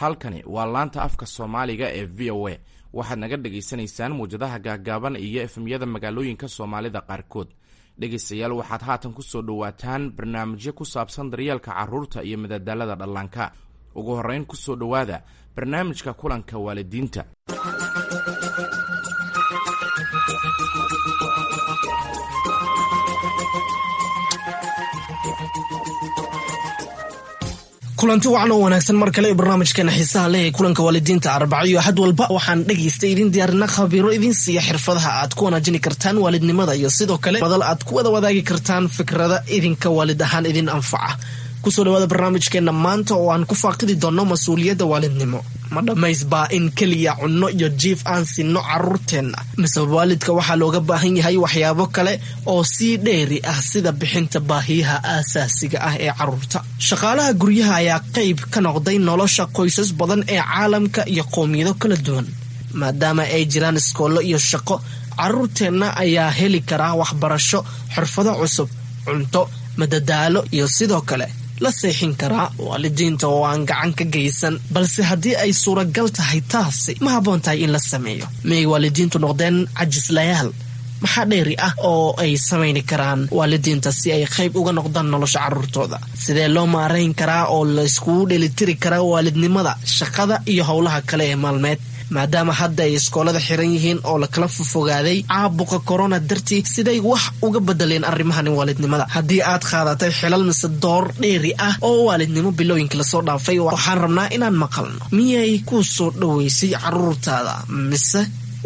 Halkani waa laanta afka Soomaaliga ee VOA. Waxaad naga dhagaysanaysaan muwjadaha gaagaaban iyo FM-yada magaalooyinka Soomaalida qaarkood. Dhegaystayaal, waxaad haatan ku soo dhowaataan barnaamijyo ku saabsan daryeelka carruurta iyo madadaalada dhallaanka. Ugu horrayn, ku soo dhowaada barnaamijka kulanka waalidiinta. Kulanti wacan oo wanaagsan mar kale barnaamijkeena xiisaha leh ee kulanka waalidiinta. Arbaco iyo Axad walba waxaan dhegaysta idin diyaarina khabiiro idin siiya xirfadaha aad ku wanaajini kartaan waalidnimada iyo sidoo kale madal aad ku wada wadaagi kartaan fikrada idinka waalid ahaan idin anfaca. Kusoo dhawaada barnaamijkeena maanta oo aan ku faaqidi doonno mas-uuliyadda waalidnimo. Ma dhammaysbaa in keliya cunno iyo jiif aan sinno carruurteenna, mise waalidka waxaa looga baahan yahay waxyaabo kale oo sii dheeri ah, sida bixinta baahiyaha aasaasiga ah ee carruurta? Shaqaalaha guryaha ayaa qayb ka noqday nolosha qoysas badan ee caalamka iyo qowmiyado kala duwan. Maadaama ay jiraan iskoollo iyo shaqo, carruurteenna ayaa heli karaa waxbarasho, xirfado cusub, cunto, madadaalo iyo sidoo kale la seexin karaa waalidiinta oo aan gacan ka geysan. Balse haddii ay suuragal tahay, taasi ma habboon tahay in la sameeyo? Miyay waalidiintu noqdeen cajislayaal? Maxaa dheeri ah oo ay samayni karaan waalidiinta si ay qayb uga noqdaan nolosha carruurtooda? Sidee loo maarayn karaa oo la iskugu dheelitiri karaa waalidnimada, shaqada iyo howlaha kale ee maalmeed, maadaama hadda ay iskoolada xiran yihiin oo lakala fofogaaday caabuqa corona dartii? Siday wax uga bedeleen arrimahani waalidnimada? Haddii aad qaadatay xilal mise door dheeri ah oo waalidnimo bilooyinka lasoo dhaafay, waxaan rabnaa inaan maqalno: miyay ku soo dhoweysay caruurtaada mise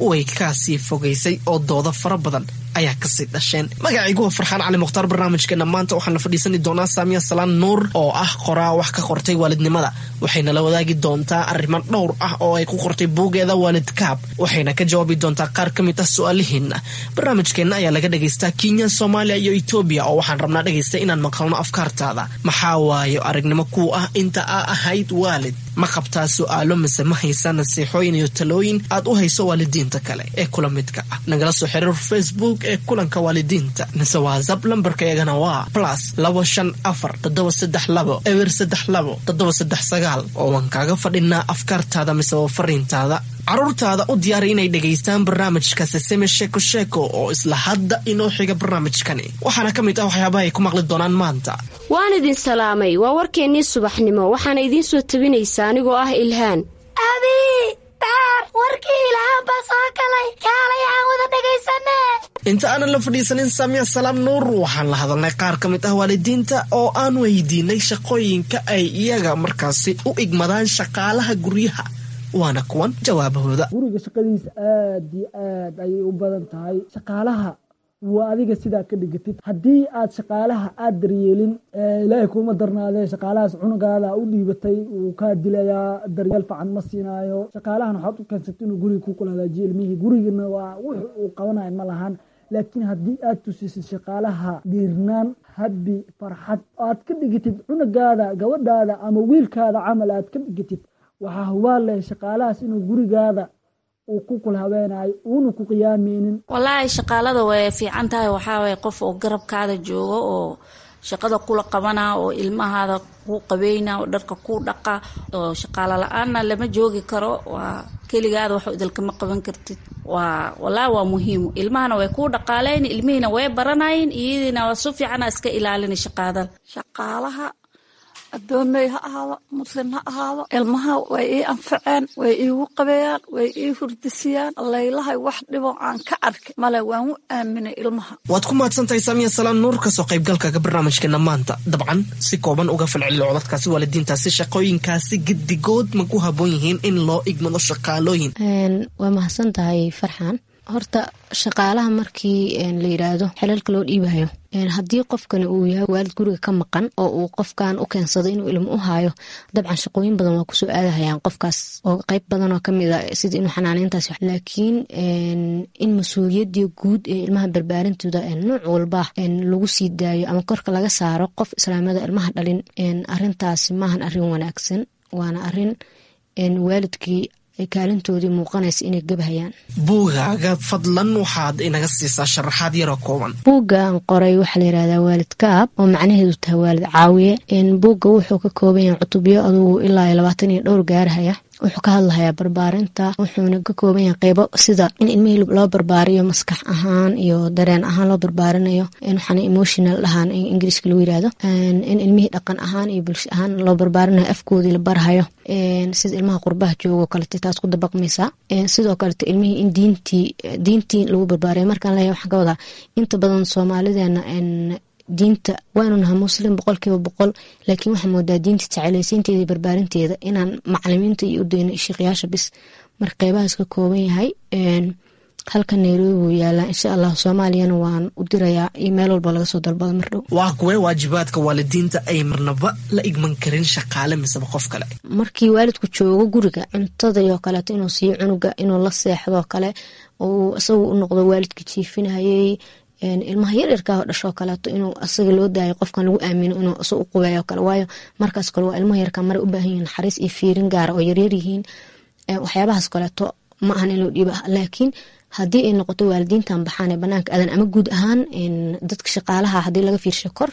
way kaasii fogaysay oo doodo fara badan ayaa kasii dhasheen? Magacaygu waa Farxaan Cali Mukhtaar. Barnaamijkeena maanta waxaan la fadhiisani doonaa Saamiya Salaan Nuur oo ah qoraa wax ka qortay waalidnimada. Waxayna la wadaagi doontaa arrimo dhowr ah oo ay ku qortay buugeeda Waalidkaab, waxayna ka jawaabi doontaa qaar ka mid ah su-aalihiina. Barnaamijkeenna ayaa laga dhagaystaa Kenya, Soomaaliya iyo Etoobiya, oo waxaan rabnaa, dhegaysta, inaan maqalno afkaartaada. Maxaa waayo aragnimo kuu ah inta aa ahayd waalid? Ma qabtaa su-aalo mise ma haysaa nasiixooyin iyo talooyin aad u hayso waalidiinta kale ee kula midka ah? Nagala soo xiriir Facebook ee kulanka waalidiinta mise WhatsApp. Lambarka iyagana waa +254 732 032 739, oo waan kaaga fadhinaa afkaartaada mise waa fariintaada. Caruurtaada u diyaari inay dhegaystaan barnaamijka Seseme Sheeko Sheeko oo isla hadda inoo xiga barnaamijkani. Waxaana ka mid ah waxyaabaha ay ku maqli doonaan maanta: Waan idin salaamay. Waa warkeennii subaxnimo, waxaana idiin soo tabinaysaa anigoo ah Ilhaan. Abi daar, warkii Ilhaan baa soo galay, kaalay aan wada dhagaysane. Inta aanan la fadhiisanin Saamiya Salaam Nuur, waxaan la hadalnay qaar ka mid ah waalidiinta oo aan weydiinay shaqooyinka ay iyaga markaasi u igmadaan shaqaalaha guryaha. Waana kuwan jawaabahooda. Guriga shaqadiisa aad iyo aad ayay u badan tahay. Shaqaalaha waa adiga sidaa ka dhigatid. Haddii aad shaqaalaha aad daryeelin, Ilaahay kuma darnaadee, shaqaalahaas cunugaada u dhiibatay wuu kaa dilayaa, daryeel fican ma siinaayo. Shaqaalahan waxaad u keensatay inuu guriga ku kula hagaajiyo ilmihii, gurigana waa wux uu qabanayo ma lahan. Laakiin haddii aad tusisid shaqaalaha dhiirnaan, habi, farxad, aad ka dhigatid cunugaada, gabadhaada ama wiilkaada camal aad ka dhigatid, waxaa hubaal leh shaqaalahaas inuu gurigaada uu ku kula habeenayo, uuna ku qiyaameynin. Wallaahi, shaqaalada way fiican tahay. Waxaa waye qof oo garabkaada joogo oo shaqada kula qabana oo ilmahaada ku qabeyna oo dharka ku dhaqa, oo shaqaalo la-aanna lama joogi karo. Waa keligaada, wax idilkama qaban kartid. Waa wallaahi waa muhiim. Ilmahana way kuu dhaqaaleyn, ilmihiina way baranayin, iyadiina waa su fiicana iska ilaalina shaqaadada. Shaqaalaha adoomey ha ahaado, Muslim ha ahaado, ilmaha way ii anfaceen, way iigu qabeeyaan, way ii hurdisiyaan. Laylahay wax dhibo aan ka arkay male, waan u aaminay ilmaha. Waad ku mahadsantahay, Saamiya Salaan Nuur, kasoo qaybgalkaga barnaamijkeena maanta. Dabcan, si kooban uga falcelilo codadkaasi. Waalidiintaasi, shaqooyinkaasi gedigood ma ku haboon yihiin in loo igmado shaqaalooyin? Waa mahadsan tahay, Farxan. Horta shaqaalaha markii la yiraahdo xilalka loo dhiibayo, haddii qofkani uu yahay waalid guriga ka maqan oo uu qofkan u keensado inuu ilmo u haayo, dabcan shaqooyin badan waa kusoo aadahayaan qofkaas oo qeyb badan oo kamid a sida inuu xanaaneyntaas. Laakiin in mas-uuliyadii guud ee ilmaha barbaarintooda nooc walba lagu sii daayo ama korka laga saaro qof islaamada ilmaha dhalin, arintaasi maahan arin wanaagsan, waana arin waalidkii ay kaalintoodii muuqanaysa inay gabhayaan. Buugaaga fadlan waxaad inaga siisaa sharaxaad yaroo kooban. Buugga aan qoray waxaa la yihahdaa Waalid Kaab, oo macnaheedu tahay waalid caawiye. Buugga wuxuu ka kooban yahay cutubyo adugu ilaa 20 iyo dhowr gaarhaya. Wuxuu ka hadlahayaa barbaarinta, wuxuuna ka kooban yahay qeybo sida in ilmihii loo barbaariyo maskax ahaan iyo dareen ahaan loo barbaarinayo, waxaana emotional dhahaan in Ingiriiska lagu yirahdo, in ilmihii dhaqan ahaan iyo bulsho ahaan loo barbaarinayo, afkoodii la barhayo, sida ilmaha qurbaha joogo kalete taas ku dabaqmaysaa. Sidoo kalete ilmihii in diintii lagu barbaariyo. Markaan leeyahay waxaan ka wadaa inta badan Soomaalideena diinta waanu nahay Muslim 100%, laakiin waxaa moodaa diinta jecelaysiinteeda iyo barbaarinteeda inaan macalimiinta iyo u dayno sheekhayaasha bis. Marka qeybahaas ka kooban yahay. Halka Nairobi wuu yaalaa, insha Allah Soomaaliyana waan u dirayaa iyo meel walba laga soo dalbada mar dhow. Waa kuwee waajibaadka waalidiinta ay marnaba la igman karin shaqaale miseba qof kale? Markii waalidku joogo guriga, cuntada iyo kaleeto inuu siiyo cunuga, inuu la seexdoo kale, oo isagu u noqdo waalidka jiifinayay. Ilmaha yaryarkaa dhashoo kaleeto inuu asaga loo daayo, qofkan lagu aamino inuu isaga u qubeeyo kale, waayo markaas kale waa ilmaha yarkaa maray u baahan yihiin naxariis iyo fiirin gaara oo yaryar yihiin. Waxyaabahaas kaleeto ma ahan in loo dhiiba, laakiin haddii ay noqoto waalidiintan baxaan ee banaanka aadan ama guud ahaan dadka shaqaalaha, haddii laga fiirsho kor,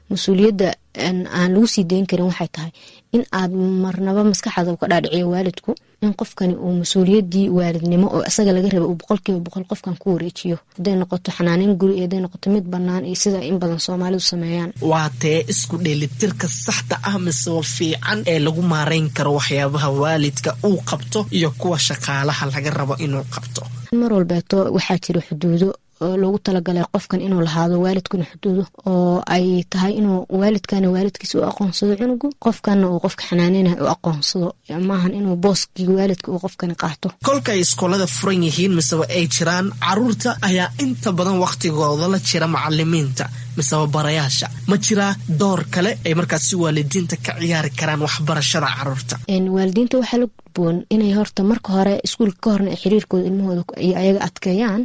mas-uuliyadda aan lagu sii dayn karin waxay tahay in aad marnaba maskaxaada u ka dhaadhiciyo waalidku in qofkani uu mas-uuliyaddii waalidnimo oo isaga laga raba uu 100% qofkan ku wareejiyo, hadday noqoto xanaaneyn guri iyo hadday noqoto mid bannaan iyo sida in badan Soomaalidu sameeyaan. Waa tee isku dheelitirka saxda ah mise fiican ee lagu maareyn karo waxyaabaha waalidka uu qabto iyo kuwa shaqaalaha laga rabo inuu qabto? Mar walbeeto waxaa jira xuduudo oo loogu talagalay qofkan inuu lahaado, waalidkuna xuduudo oo ay tahay inuu waalidkana waalidkiisa u aqoonsado cunugu, qofkana uu qofka xanaaneynayo u aqoonsado, maahan inuu booskii waalidka uu qofkani qaato. Kolka ay iskoolada furan yihiin miseba ay jiraan, caruurta ayaa inta badan wakhtigooda la jira macalimiinta miseba barayaasha. Ma jiraa door kale ay markaasi waalidiinta ka ciyaari karaan waxbarashada caruurta? Waalidiinta waxaa la gudboon inay horta marka hore iskuulka ka horna ay xiriirkooda ilmahooda iyo ayaga adkeeyaan,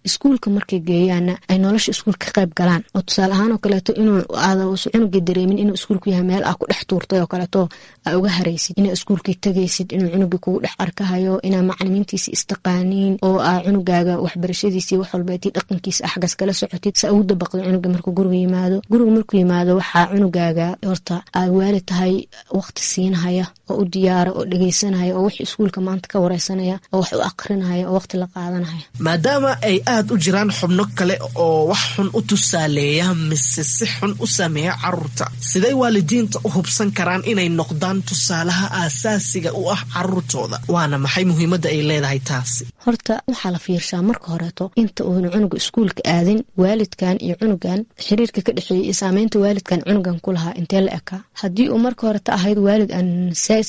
iskuulka markay geeyaana ay nolosha iskuulka ka qayb galaan, oo tusaale ahaan oo kaleeto inuu aada cunuga dareemin inuu iskuulku yahay meel aa ku dhex tuurtay oo kaleeto aa uga haraysid, inaa iskuulkii tagaysid, inuu cunuga kugu dhex arkahayo, inaa macalimiintiisi istaqaaniin, oo aa cunugaaga waxbarashadiisii wax walbeetii dhaqankiisa axgas kala socotid, sa ugu dabaqdo cunuga markuu guriga yimaado. Guriga markuu yimaado waxaa cunugaaga horta aad waalid tahay waqti siinahaya oo u diyaara oo dhegeysanaya oo wix iskuulka maanta ka wareysanaya oo wax u aqrinaya oo waqti la qaadanaya. Maadaama ay aad u jiraan xubno kale oo wax xun u tusaaleeya mise si xun u saameeya caruurta, siday waalidiinta u hubsan karaan inay noqdaan tusaalaha aasaasiga u ah caruurtooda? Waana maxay muhiimadda ay leedahay taasi? Horta waxaa la fiirshaa marka horeeto inta uuna cunuga iskuulka aadin waalidkan iyo cunugan xiriirka ka dhexeeyay iyo saameynta waalidkan cunugan ku lahaa intee la ekaa. Haddii uu marka horeta ahayd waalid aan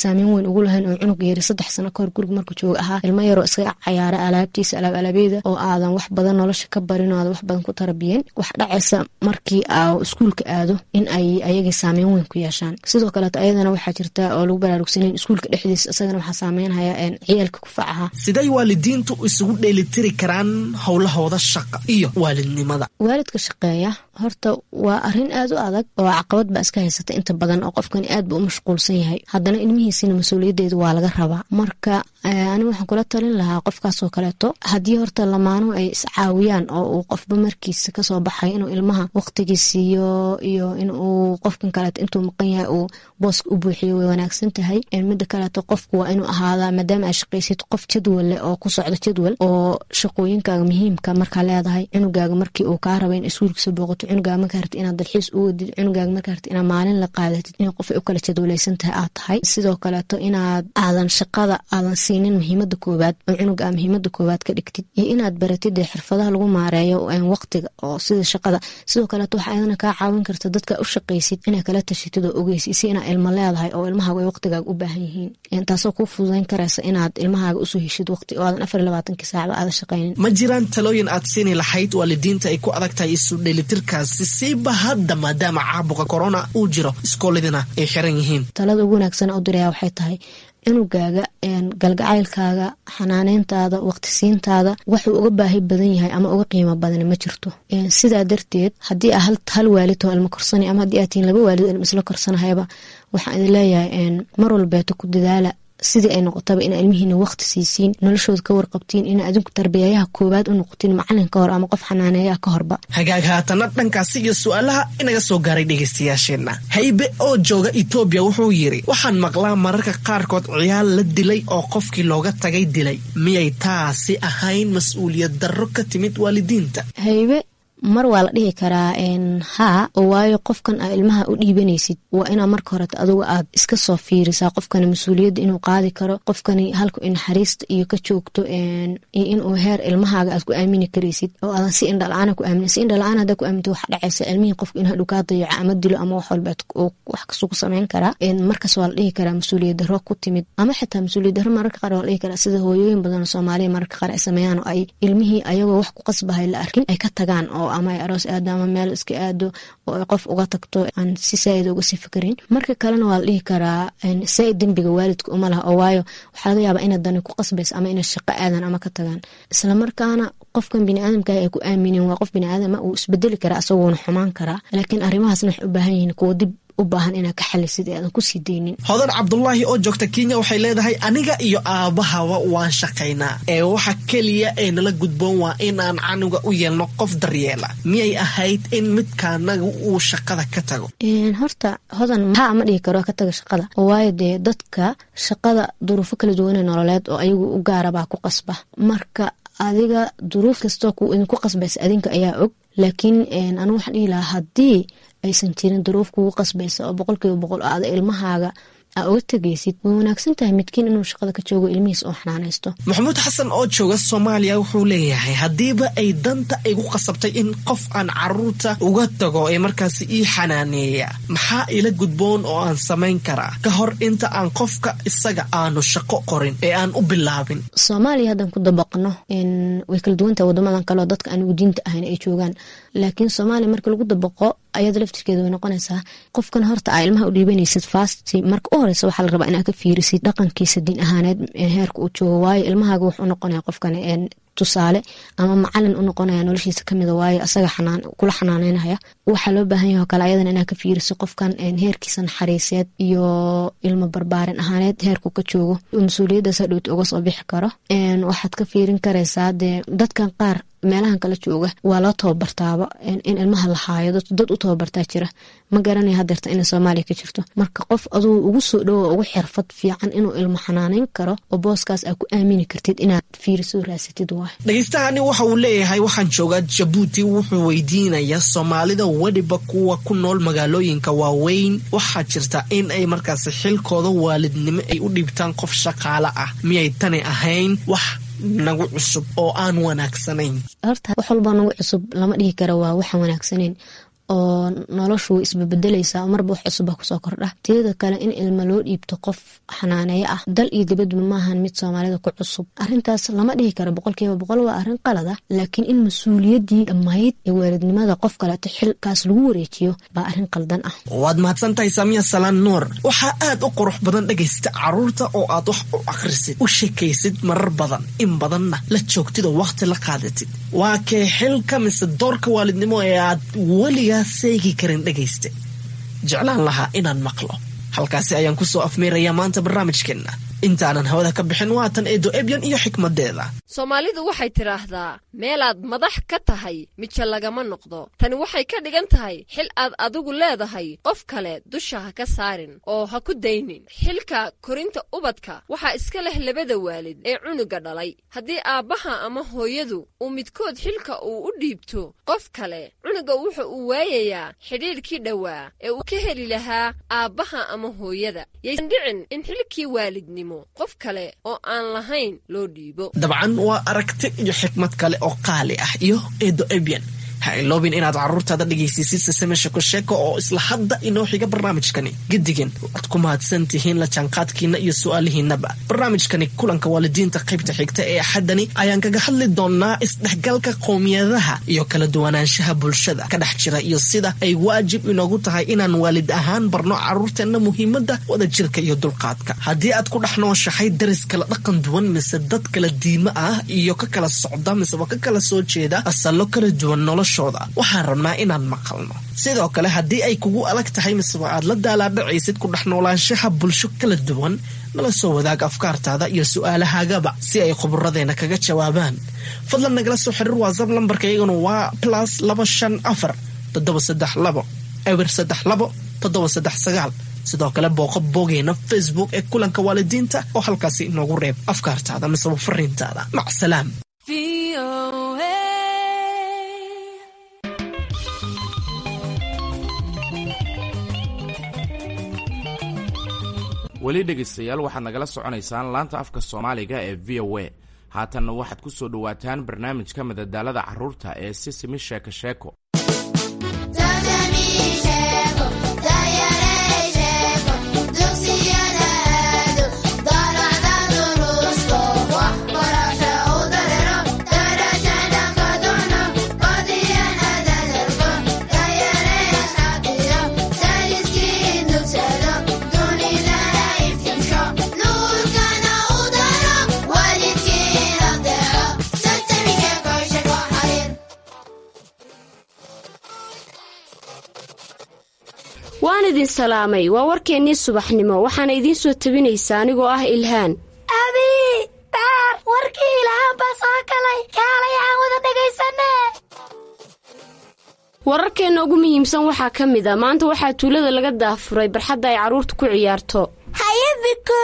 saameyn weyn ugu lahayn oo cunuga yari 3 sano kahor guriga markuu jooga ahaa ilmo yaroo iskaga cayaara alaabtiisa alaab alaabyada oo aadan wax badan nolosha ka barin oo aadan wax badan ku tarabiyen, wax dhacaysa markii aa iskuulka aado in ay ayagii saameyn weyn ku yeeshaan. Sidoo kaleeto ayadana waxaa jirta oo lagu baraarugsanayn iskuulka dhexdiisa isagana waxaa saameynhaya ciyaalka kufacaha. Siday waalidiintu isugu dheelitiri karaan howlahooda shaqa iyo waalidnimada? Waalidka shaqeeya horta waa arrin aad u adag oo caqabad baa iska haysata inta badan, oo qofkani aad buu u mashquulsan yahay, haddana ilmihiisina mas-uuliyaddeedu waa laga rabaa. Marka anigu waxaan kula talin lahaa qofkaasoo kaleeto haddii horta lamaanuhu ay iscaawiyaan oo uu qofba markiisa kasoo baxay inuu ilmaha waqtigii siiyo iyo inuu qofkan kaleeto intuu maqan yahay uu booska u buuxiyo way wanaagsan tahay. Mida kaleeto qofku waa inuu ahaadaa, maadaama aad shaqaysid, qof jadwal leh oo ku socdo jadwal oo shaqooyinkaaga muhiimka markaa leedahay, cunugaaga markii uu kaa raba in iskuulkiisa booqato, cunugaaga markaa rabtid inaad dalxiis u wadid, cunugaaga markaa rabtid inaad maalin la qaadatid, in qof ay u kala jadwalaysan tahay aad tahay. Sidoo kaleeto inaad aadan shaqada aadan siinin muhiimada koowaad oo cunuga aa muhiimada koowaad ka dhigtid, iyo inaad baratid dee xirfadaha lagu maareeyo waqtiga oo sida shaqada. Sidoo kaleeto waxaa ayadana kaa caawin karta dadka u shaqaysid inaad kala tashatid oo ogeysid si inaad ilmo leedahay oo ilmahaaga ay waqtigaaga u baahan yihiin, taasoo kuu fududayn karaysa inaad ilmahaaga usoo heshid waqti oo aadan 24-kii saacba aadan shaqaynin. Ma jiraan talooyin aad siini lahayd waalidiinta ay ku adag tahay isu dheelitirkaasi, siiba hadda maadaama caabuqa corona uu jiro, iskooladina ay xiran yihiin? Talada ugu wanaagsan u diraya waxay tahay cunugaaga galgacaylkaaga, xanaaneyntaada, waqtisiintaada waxuu uga baahi badan yahay ama uga qiimo badan ma jirto. Sidaa darteed haddii aa hal waalid oo ilmo korsanay ama haddii aad tihiin laba waalid oo ilmo isla korsanahayaba, waxaan idin leeyahay mar walbeeto ku dadaala Sidii ay noqotaba ina ilmihiina waqti siisiin, noloshooda ka warqabtiin, ina adinku tarbiyayaha koowaad u noqotiin, macalin ka hor ama qof xanaaneeyaha ka horba. Hagaag, haatana dhankaasi iyo su-aalaha inaga soo gaaray dhegaystayaasheenna. Haybe oo jooga Etoobiya wuxuu yidhi: waxaan maqlaa mararka qaarkood ciyaal la dilay oo qofkii looga tagay dilay. Miyay taasi ahayn mas-uuliyad darro ka timid waalidiinta? Haybe, mar waa la dhihi karaa haa, oo waayo qofkan aa ilmaha u dhiibanaysid waa inaa marka horeta adugu aad iska soo fiirisaa qofkani mas-uuliyadda inuu qaadi karo, qofkani halku naxariista iyo ka joogto, iyo inuu heer ilmahaaga aad ku aamini karaysid oo aadan si indhala-aana ku aamin. Si indhala-aan haddaa ku aaminto, waxa dhacaysa ilmihii qofku in hadhow kaa dayaco ama dilo ama wax walba wax kasuu ku samayn karaa. Markaas waa la dhihi karaa mas-uuliyad darro ku timid, ama xitaa mas-uuliyad darro mararka qaar waa la dhihi karaa sida hooyooyin badan oo Soomaaliya mararka qaar ay sameeyaan, oo ay ilmihii ayagoo wax ku qasbahay la arkin ay ka tagaan, oo ama ay aroos aado ama meel iska aado oo ay qof uga tagto aan si saaid uga sii fakarin. Marka kalena waa la dhihi karaa saaid dembiga waalidka uma laha, oo waayo waxaa laga yaabaa inay dani ku qasbaysa ama inay shaqo aadan ama ka tagaan. Islamarkaana qofkan biniaadamka ay ku aaminin waa qof biniaadama, uu isbedeli karaa, isagoona xumaan karaa, laakiin arrimahaasna waxay u baahan yihiin kuwa dib u baahan inaad ka xalisid ee aadan kusii daynin. Hodan Cabdulaahi oo joogta Kenya waxay leedahay: aniga iyo aabahaba waan shaqaynaa, ee waxa keliya ee nala gudboon waa in aan canuga u yeelno qof daryeela. Miyay ahayd in midkaanaga uu shaqada ka tago? Horta Hodan, haa, ma dhihi karo ka taga shaqada, waayo dee dadka shaqada duruufo kala duwane nololeed oo ayagu u gaara baa ku qasba. Marka adiga duruuf kastoo ku idinku qasbaysa adinka ayaa og, laakiin anigu waxaan dhihi lahaa haddii aysan jirin duruuf kugu qasbaysa oo 100% oo aada ilmahaaga aa uga tegaysid, way wanaagsan tahay midkiin inuu shaqada ka joogo, ilmihiis oo xanaanaysto. Maxamuud Xasan oo jooga Soomaaliya wuxuu leeyahay: haddiiba ay danta igu qasabtay in qof aan caruurta uga tago ee markaasi ii xanaaneeya, maxaa ila gudboon oo aan samayn karaa ka hor inta aan qofka isaga aanu shaqo qorin ee aan u bilaabin? Soomaaliya haddaan ku dabaqno, way kala duwantahay wadamadan kale oo dadka anigu diinta ahayn ay joogaan, laakiin Soomaaliya marka lagu dabaqo ayada laftirkeeda way noqonaysaa qofkan horta aa ilmaha u dhiibanaysid, first marka u horeysa waxaa la rabaa inaad ka fiirisid dhaqankiisa diin ahaaneed heerka uu joogo, waayo ilmahaaga wuxuu noqonaya qofkan tusaale ama macalin u noqonaya noloshiisa kamida, waayo asaga kula xanaaneynaya. Waxaa loo baahan yahay oo kale ayadana inaad ka fiiriso qofkan heerkiisa naxariiseed iyo ilmo barbaarin ahaaneed heerku ka joogo, mas-uuliyaddaas hadhowta uga soo bixi karo. Waxaad ka fiirin karaysaa dee dadkan qaar meelahan kala jooga waa loo tababartaaba in ilmaha la haayo, dad u tababartaa jira. Ma garanaya hadeerta inay Soomaaliya ka jirto. Marka qof aduu ugu soo dhowo, ugu xirfad fiican inuu ilmo xanaaneyn karo oo booskaas aad ku aamini kartid inaad fiiriso, raasatid waay. Dhegeystahaani waxa uu leeyahay: waxaan joogaa Jabuuti. Wuxuu weydiinayaa: Soomaalida, weliba kuwa ku nool magaalooyinka waaweyn, waxaa jirta in ay markaasi xilkooda waalidnimo ay u dhiibtaan qof shaqaale ah. Miyay tani ahayn wax nagu cusub oo aan wanaagsanayn? Horta wax walba nagu cusub lama dhihi karo waa waxaan wanaagsanayn, oo noloshu way isbebedelaysaa, marba wax cusub baa kusoo kordha. Teeda kale, in ilma loo dhiibto qof xanaaneeyo ah dal iyo dibadba maahan mid Soomaalida ku cusub. Arrintaas lama dhihi karo 100% waa arrin qalad ah, laakiin in mas-uuliyaddii dhammayd ee waalidnimada qof kaleeto xilkaas lagu wareejiyo baa arrin qaldan ah. Waad mahadsan tahay, Saamiya Salaan Nuur. Waxaa aad u qurux badan, dhegaysta, caruurta oo aad wax u akhrisid, u sheekaysid marar badan, in badanna la joogtid oo wakhti la qaadatid. Waa kee xilka mise doorka waalidnimo ee aad weligaa seegi karin, dhegayste, jeclaan lahaa inaan maqlo? Halkaasi ayaan kusoo afmeerayaa maanta barnaamijkeenna. Intaanan hawada ka bixin, waatan Eedo Ebyan iyo xikmadeeda. Soomaalidu waxay tidhaahdaa: meelaad madax ka tahay mijo lagama noqdo. Tani waxay ka dhigan tahay xil aad adigu leedahay qof kale dusha ha ka saarin oo ha ku daynin. Xilka korinta ubadka waxaa iska leh labada waalid ee cunuga dhalay. Haddii aabbaha ama hooyadu uu midkood xilka uu u dhiibto qof kale, cunuga wuxa uu waayayaa xidhiidhkii dhowaa ee uu ka heli lahaa aabbaha ama hooyada. Yaysan dhicin in xilkii waalidnimo qof kale oo aan lahayn loo dhiibo. Dabcan waa aragti iyo xikmad kale oo qaali ah iyo Eedo Ebyan. Ha iloobin inaad carruurtaada dhegaysiisid Sesame Sheeko Sheeko oo isla hadda inoo xiga barnaamijkani. Gedigan waad ku mahadsan tihiin la jaanqaadkiina iyo su-aalihiinaba. Barnaamijkani kulanka waalidiinta qaybta xigta ee Axaddani ayaan kaga hadli doonaa isdhexgalka qowmiyadaha iyo kala duwanaanshaha bulshada ka dhex jira, iyo sida ay waajib inoogu tahay inaan waalid ahaan barno carruurteenna muhiimadda wadajirka iyo dulqaadka. Haddii aad ku dhex nooshahay daris kala dhaqan duwan mise dad kala diimo ah iyo ka kala socda miseba ka kala soo jeeda asallo kala duwan, nolosha noloshooda. Waxaan rabnaa inaan maqalno. Sidoo kale, haddii ay kugu adag tahay miseba aad la daalaadhacaysid ku dhex noolaanshaha bulsho kala duwan, nala soo wadaag afkaartaada iyo su-aalahaagaba si ay khuburadeena kaga jawaabaan. Fadlan nagala soo xiriir WhatsApp, lambarka iyaguna waa +254 732 032 739. Sidoo kale booqo bogeena Facebook ee Kulanka Waalidiinta oo halkaasi inoogu reeb afkaartaada miseba fariintaada. Macsalaam. Weli dhegaystayaal, waxaad nagala soconaysaan laanta afka Soomaaliga ee VOA. Haatanna waxaad ku soo dhowaataan barnaamijka madadaalada carruurta ee Sisimi Sheeko Sheeko. Waan idin salaamay. Waa warkeennii subaxnimo, waxaana idiin soo tabinaysaa anigoo ah Ilhaan. Abi, Baar, warkii Ilhaan baa soo galay. Kaalay aan wada dhagaysane. Wararkeenna ugu muhiimsan waxaa ka mid a: maanta waxaa tuulada laga daafuray barxadda ay carruurtu ku ciyaarto. Haye Biku,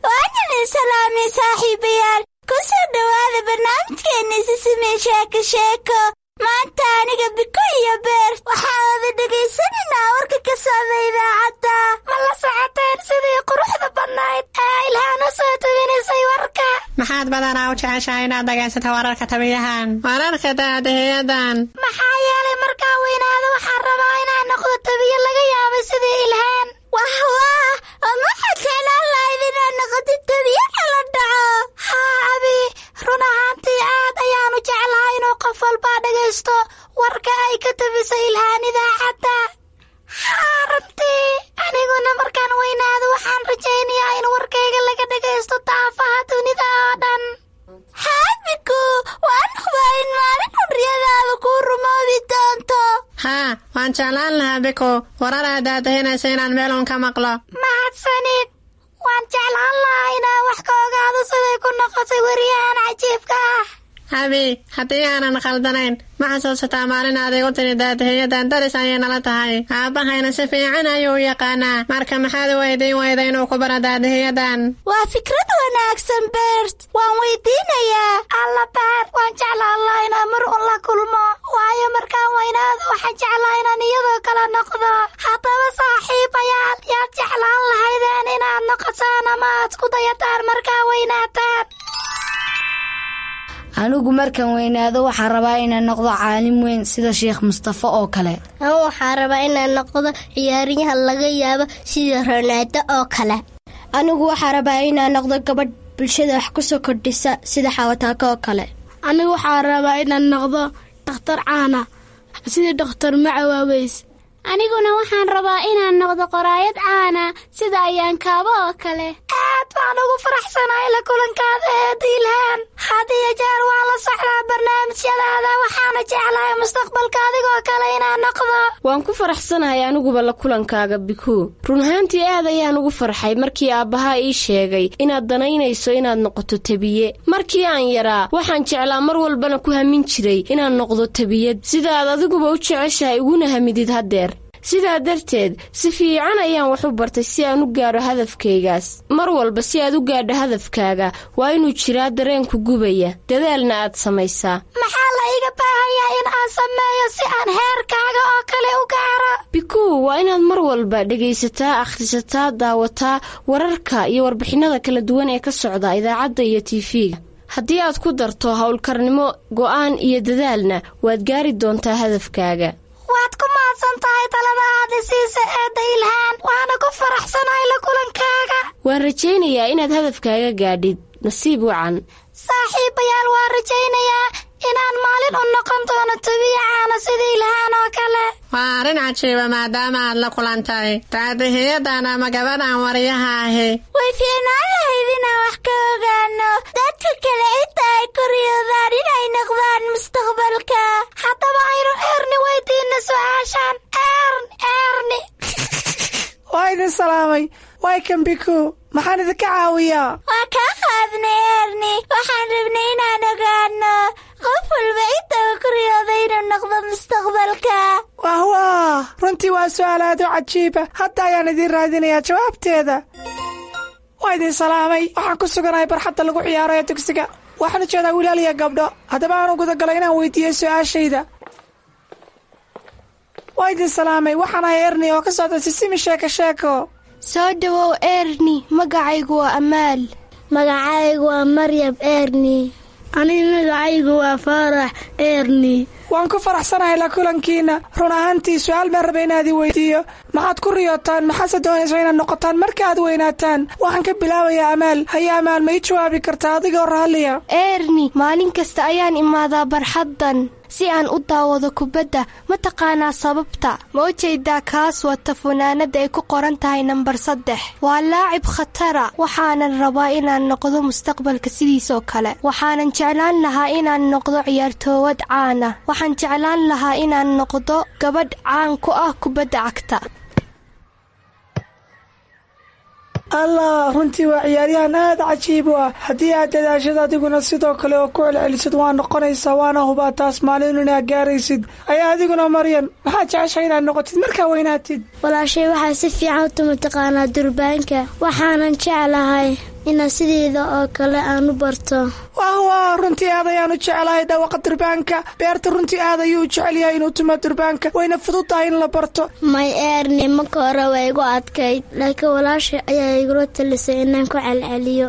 waan idin salaamay saaxiibayaal. Ku soo dhowaada barnaamijkeenni Sisimi Sheeko Sheeko. Maanta aniga, Biku iyo Beer waxaan wada dhegaysanaynaa warka ka socda idaacadda. Ma la socoteen sidii quruxda badnayd ee Ilhaan u soo tabinaysay warka? Maxaad badanaa u jeceshahay inaad dhegaysato wararka tabiyahan, wararka daadahiyadan? Maxaa yeelay markaan weynaado waxaan rabaa inaan noqdo tabiye laga yaabay sidii Ilhaan. Wah wah, ma waxaad jeclaan lahayd inaad noqotid tabiye kala dhaco? Haa Abi, run ahaantii aad ayaanu jeclahay inuu qof walbaa dhagaysto warka ay ka tabisay Ilhaan idaacadda. Haa, runtii aniguna markaan weynaado waxaan rajaynayaa in warkayga laga dhagaysto daafaha dunida oo dhan. Haa Biku, waan hubaa in maalin xurriyadaada kuu rumoobi doonto. Haa, waan jeclaan lahaa Biku warar aad daadahinaysa inaan meel uun ka maqlo. Mahadsanid. Waan jeclaan lahaa inaan wax ka ogaado siday ku noqotay weriyahan cajiibka ah. Abi, haddii aanan khaldanayn, ma xasuusataa maalin aad igu tiri daadahiyadan daris ayay nala tahay, aabbahayna si fiican ayuu u yaqaanaa? Marka maxaad u weydiin weyda inuu ku baro daadahiyadan? Waa fikrad wanaagsan, Bert. Waan weydiinayaa. Alla Beer, waan jeclaan lahaa inaan mar un la kulmo, waayo markaan weynaado waxaan jeclaa inaan iyadoo kale noqdo. Haddaba saaxiibayaal, yaad jeclaan lahaydeen inaad noqotaan ama aad ku dayataan markaa weynaataan? Anigu markaan weynaado waxaan rabaa inaan noqdo caalim weyn sida Sheekh Mustafa oo kale. Anigu waxaan rabaa inaan noqdo ciyaaryahan laga yaabo sida Ronaldo oo kale. Anigu waxaa rabaa inaan noqdo gabadh bulshada wax ku soo kordhisa sida Xawataako oo kale. Anigu waxaa rabaa inaan noqdo dhakhtar caana sida Dhakhtar Macawaaweys. Aniguna waxaan rabaa inaan noqdo qoraayad caana sida Ayaankaabo oo kale. Aad baan ugu faraxsanahay la kulankaada, eed Ilhaan. Had iyo jeer waan la socdaa barnaamijyadaada, waxaana jeclahay mustaqbalka adigoo kale inaan noqdo. Waan ku faraxsanahay aniguba la kulankaaga, Bikuu. Run ahaantii aad ayaan ugu farxay markii aabbahaa ii sheegay inaad danaynayso inaad noqoto tabiye. Markii aan yaraa waxaan jeclaa, mar walbana ku hamin jiray inaan noqdo tabiyad, sidaad adiguba u jeceshahay uguna hamidid haddeer. Sidaa darteed si fiican ayaan wax u bartay si aan u gaadho hadafkaygaas. Mar walba si aad u gaadho hadafkaaga waa inuu jiraa dareenku gubaya, dadaalna aad samaysaa. Maxaa la iga baahanyaa in aan sameeyo si aan heerkaaga oo kale u gaaro? Bikuu, waa inaad mar walba dhegaysataa, akhrisataa, daawataa wararka iyo warbixinnada kala duwan ee ka socda idaacadda iyo TV-ga. Haddii aad ku darto howlkarnimo, go'aan iyo dadaalna, waad gaari doontaa hadafkaaga. Waad ku mahadsan tahay talada aad isiisa, eedda Ilhaan, waana ku faraxsanahay la kulankaaga. Waan rajaynayaa inaad hadafkaaga gaadhid. Nasiib wacan. Saaxiibayaal, waan rajaynayaa inaan maalin u noqon doono tabiya caana sida Ilhaan oo kale. Waa arrin cajiiba maadaama aad la kulantay daadihiyadan ama gabadhan waryaha ahi. Way fiicnaan lahayd inaan wax ka ogaano dadka kale inta ay ku riyoodaan inay noqdaan mustaqbalka. Haddaba aynu salaamay. Waay kan Biku, maxaan idinka caawiyaa? Waa kaa qaadnay Erni, waxaan rabnay inaan ogaano qof walba inta uu ku riyooday inuu noqdo mustaqbalka. Wah wah, runtii waa su'aal aad u cajiiba. Hadda ayaan idiin raadinayaa jawaabteeda. Waa idin salaamay. Waxaan ku suganahay barxadda lagu ciyaaro ee dugsiga. Waxaan u jeedaa wilaal iyo gabdho. Haddaba aanu gudagalay inaan weydiiyo su'aashayda. Waa idin salaamay. Waxaan ahay Erni oo ka socda Sisimi Sheeko Sheeko. Soo dhowow Erni, magacaygu waa Amaal. Magacaygu waa Maryam Erni. Aniga magacaygu waa Faarax Erni. Waan ku faraxsanahay la kulankiina. Run ahaantii su'aal baan rabay inaad i weydiiyo. Maxaad ku riyootaan? Maxaase doonaysaa inaad noqotaan marka aad weynaataan? Waxaan ka bilaabayaa Amaal. Haye Amaal, ma ii jawaabi kartaa adigoo raalliya? Erni, maalin kasta ayaan imaadaa barxaddan si aan u daawado kubadda. Ma taqaanaa sababta? Ma u jeedaa kaas wata funaanadda ay ku qoran tahay nambar 3? Waa laacib khatara. Waxaanan rabaa inaan noqdo mustaqbalka sidiisoo kale. Waxaanan jeclaan lahaa inaan noqdo ciyaartoowad caana. Waxaan jeclaan lahaa inaan noqdo gabadh caan ku ah kubadda cagta. Allah, runtii waa ciyaaryahan aad cajiib u ah. Haddii aad dadaashad adiguna sidoo kale oo ku celcelisid, waa noqonaysaa, waana hubaa taas maalin inaad gaaraysid. Ayaa adiguna Maryam, maxaad jeceshahay inaad noqotid markaa weynaatid? Walaashay waxaa si fiican u tuma taqaanaa durbaanka. Waxaanan jeclahay inaan sideeda oo kale aan u barto. Wah wah, runtii aad ayaan u jeclahay dhawaqa durbaanka. Beerta runtii aad ayuu u jecel yahay inuu tumo durbaanka, wayna fudud tahay in la barto. May Erni, marka hore waa igu adkayd, laakiin walaashay ayaa igula talisay inaan ku celceliyo.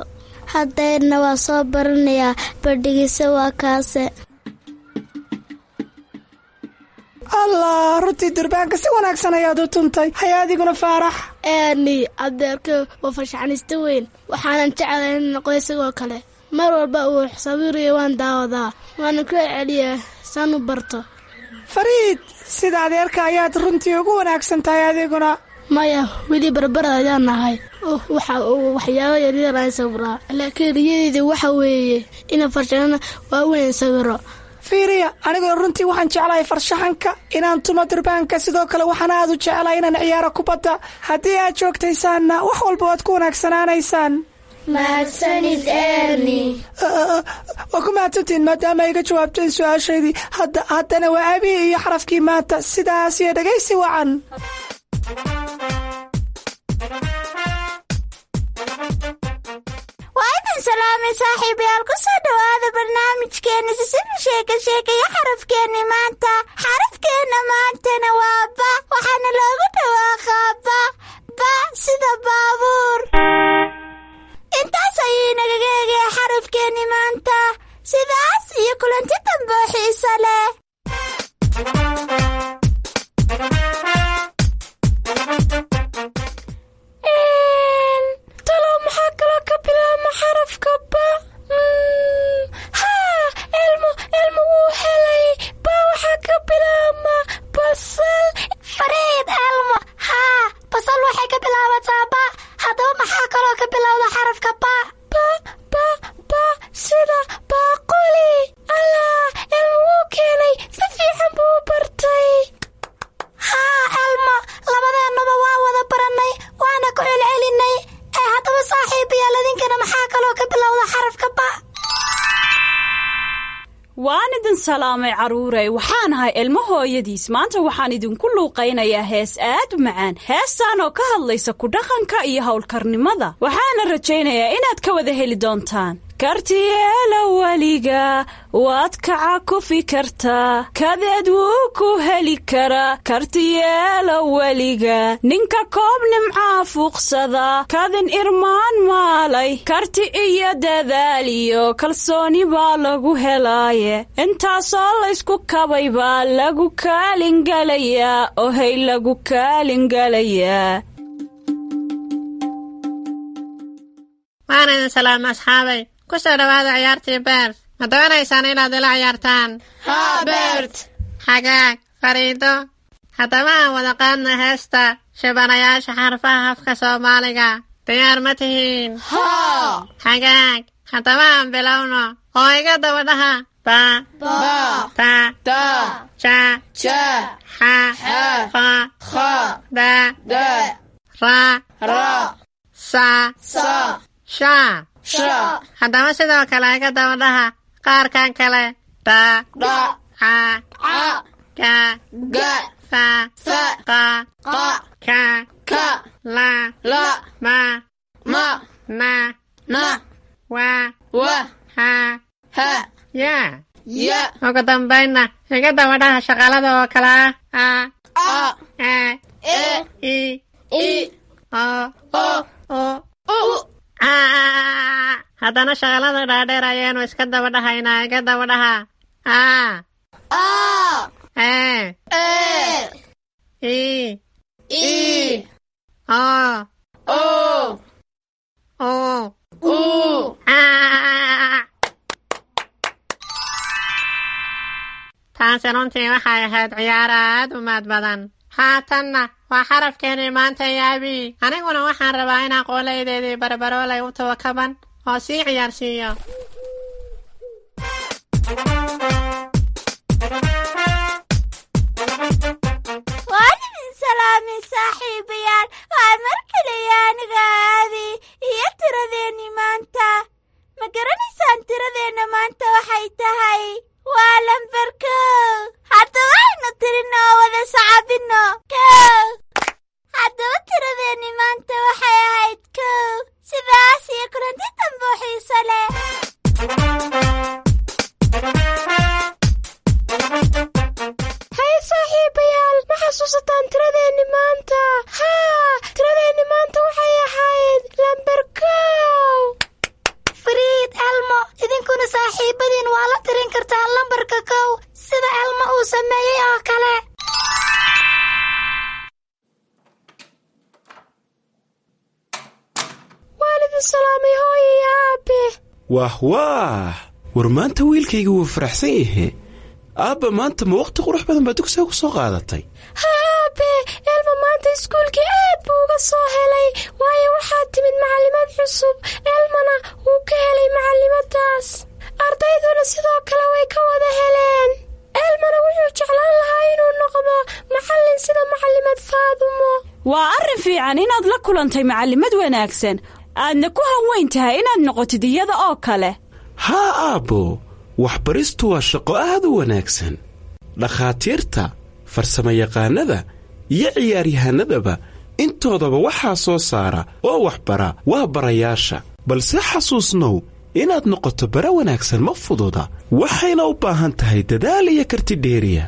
Haddeerna waa soo baranayaa, bardhigise waa kaase. Allah, runtii durbaanka si wanaagsan ayaad u tuntay. Haya adiguna Faarax. Erni, adeerka waa farshaxanista weyn. Waxaanan jeclahay in noqdo isagoo kale. Mar walba uu sawirayo waan daawadaa, waana ku celceliyaa saan u barto. Fariid, sida adeerka ayaad runtii ugu wanaagsan tahay adiguna. Maya, weli barbar ayaan nahay. Waxa uu waxyaabo yaryar aan sawiraa, laakiin riyadeyda waxa weeye inaan farshaxano waaweyn sawiro. Fiiriya, aniguna runtii waxaan jeclahay farshaxanka, inaan tumo durbaanka. Sidoo kale waxaan aad u jeclahay inaan ciyaaro kubadda. Haddii aad joogtaysaanna wax walba waad ku wanaagsanaanaysaan. Mahadsanid Erni. Waa ku mahadsantihiin maadaama iga jawaabteen su-aashaydii. Haddana waa abihi iyo xarafkii maanta. Sidaas iyo dhegaysi wacan. Waa idin salaamay saaxiibayaal, ku soo dhowaada barnaamijkeena Sisimi Sheeka Sheekaya. Xarafkeenni maanta, xarafkeenna maantana waa ba. Waxaana loogu dhawaaqaa ba, ba sida baabuur. Intaas ayuu inagaga egaya xarafkeenni maanta. Sidaas iyo kulanti dambe oo xiiso leh. Talow maxaa kaloo ka bilaabma xarafka ba? Haa, Elmo, Elmo wuu helay. Ba waxaa ka bilaabma basal. Fariid, Elmo, haa, basal waxay ka bilaabataa ba. Haddaba maxaa kaloo ka bilowda xarafka ba? Ba, ba, ba sida baaquli. Allah, Elmo wuu keenay, si fiican buu u bartay. Haa Elmo, labadeennuba waa wada barannay, waana ku celcelinay. Ee haddaba saaxiibayaal, idinkana maxaa kaloo ka bilowda xarafka ba? Waan idin salaamay carruurey. Waxaan ahay Ilmo hooyadiis. Maanta waxaan idinku luuqaynayaa hees aad u macaan, heestaan oo ka hadlaysa ku dhaqanka iyo howlkarnimada. Waxaana rajaynayaa inaad ka wada heli doontaan. Kartiyeela weliga waad kaca kufi kartaa, kadeed wuu ku heli karaa. Kartiyeela weliga ninka koob nimcaa fuuqsada, kadin irmaan maalay. Karti iyo dadaal iyo kalsooni baa lagu helaaye, intaasoo laysku kabay baa lagu kaalingalayaa, ohay lagu kaalingalayaa. Waan idin salaama asxaabay, ku soo dhowaada ciyaartii Bert. Ma doonaysaan inaad ila ciyaartaan? Haa Bert. Xagaag Fariido, haddaba aan wada qaadna heesta shibanayaasha xarfaha afka Soomaaliga. Diyaar ma tihiin? Haa. Xagaag, haddaba aan bilowno oo iga daba dhaha: ba, ba, ta, ta, ja, ja, xa, xa, kha, kha, da, da. Ra, Sa, Sha. Haddaba sidoo kale iga daba dhaha qaarkan kale: Dha, Ca, Ga, Fa, Qa, Ka, La, Ma, Na, Wa, Ha, Ya. Ugu dambaynna iga daba dhaha shaqalada oo kale ah: A, E, I, O, U, A. Haddana shaqalada dhaadheer ayaanu iska daba dhahaynaa. Iga daba dhaha: A, E, I, O, U, A. Taasi runtii waxay ahayd ciyaar aad u maad badan. Haatanna waa xarafkeenii maanta yaabi. Aniguna waxaan rabaa inaan qoolaydeedii barbaroolay u tawakaban oo sii ciyaarsiiyo. Waan idin salaamay, saaxiibayaal. Waa mar kaliya aniga Aabi iyo tiradeenni maanta. Ma garanaysaan tiradeenna maanta waxay tahay? Waa lambar 1. Haddaba aynu tirino oo wada sacabino: 1. Haddaba tiradeenni maanta waxay ahayd 1. Sidaas iyo kulanti dambe oo xiiso leh. Hay saaxiibayaal, ma xasuusataan tiradeenni maanta? Haa, tiradeenni maanta waxay ahayd lambar 1. Fariid, Elmo, idinkuna saaxiibadiin waa la tirin kartaa lambarka 1, sida Elmo uu sameeyey oo kale. Waalidin salaamay, hooyo iyo aabe. Wah waah, war maanta wiilkayga wuu faraxsan yahe. Aabba, maanta ma waqti qurux badan baa dugsiga ku soo qaadatay? Ha aabe, Elmo maanta iskuulkii aad buu uga soo helay, waayo waxaa timid macallimad cusub. Elmona wuu ka helay macallimadaas, ardayduna sidoo kale way ka wada heleen. Elmona wuxuu jeclaan lahaa inuu noqdo macallin sida macallimad Faadumo. Waa arrin fiican inaad la kulantay macallimad wanaagsan, aadna ku hanweyn tahay inaad noqotid iyada oo kale. Haa aabbo, waxbaristu waa shaqo aad u wanaagsan. Dhakhaatiirta, farsamayaqaannada iyo ciyaaryahanadaba intoodaba waxaa soo saara oo waxbara waa barayaasha. Balse xasuusnow, inaad noqoto bara wanaagsan ma fududa, waxayna u baahan tahay dadaal iyo karti dheeriya.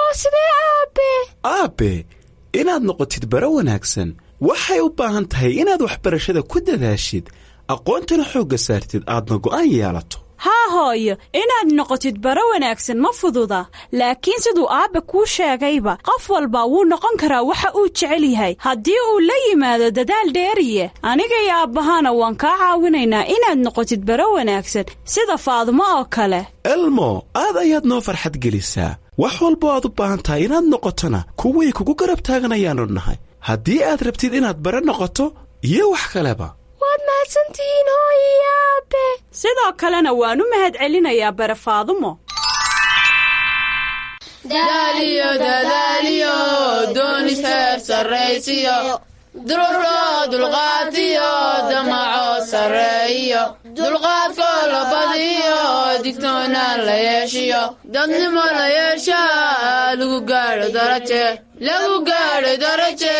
Oo sidee aabe? Aabbe, inaad noqotid bara wanaagsan waxay u baahan tahay inaad waxbarashada ku dadaashid, aqoontana xoogga saartid, aadna go'aan yeelato. Haa hooyo, inaad noqotid bara wanaagsan ma fududa, laakiin siduu aabbe kuu sheegayba, qof walba wuu noqon karaa waxa uu jecel yahay haddii uu la yimaado dadaal dheeriye. Aniga iyo aabbahana waan kaa caawinaynaa inaad noqotid bara wanaagsan sida Faadumo oo kale. Elmo, aad ayaad noo farxad gelisaa. Wax walbo aad u baahan tahay inaad noqotona, kuwii kugu garab taaganayaannu nahay, haddii aad rabtid inaad bara noqoto iyo wax kaleba. Waad mahadsantihiin, hooyo iyo aabe. Sidoo kalena waan u mahad celinayaa bare Faadumo. Daaliyo dadaaliyo doonis heer sarraysiyo, dururoo dulqaatiyo damaco sarreeyo, dulqaadkoo la badiyo, digtoonaan la yeeshiyo, dadnimo la yeeshaa, lagu gaadho daraje, lagu gaadho daraje,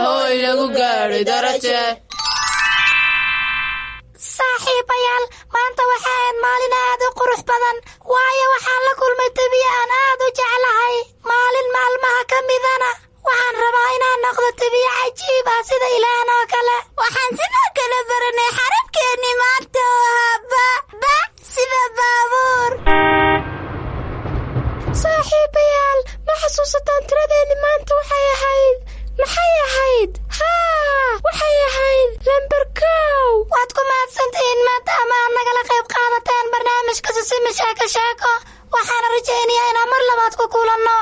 hooy lagu gaadho daraje. Saaxiibayaal, maanta waxa ahayd maalin aad u qurux badan, waayo waxaan la kulmay tabiye aan aad u jeclahay. Maalin maalmaha ka midana waxaan rabaa inaan noqdo tabiye cajiib ah sida Ilaahan oo kale. Waxaan sidoo kale baranay xarafkeennii maanta oo ahaa ba, ba sida baabuur. Saaxiibayaal, ma xasuusataan tiradeenni maanta waxay ahayd? Maxay ahayd? Haa, waxay ahayd lambar 1. Waad ku mahadsantihiin maadaama aad nagala qayb qaadateen barnaamijka Sisimi Sheeko Sheeko. Waxaana rajaynayaa inaan mar labaad ku kulanno.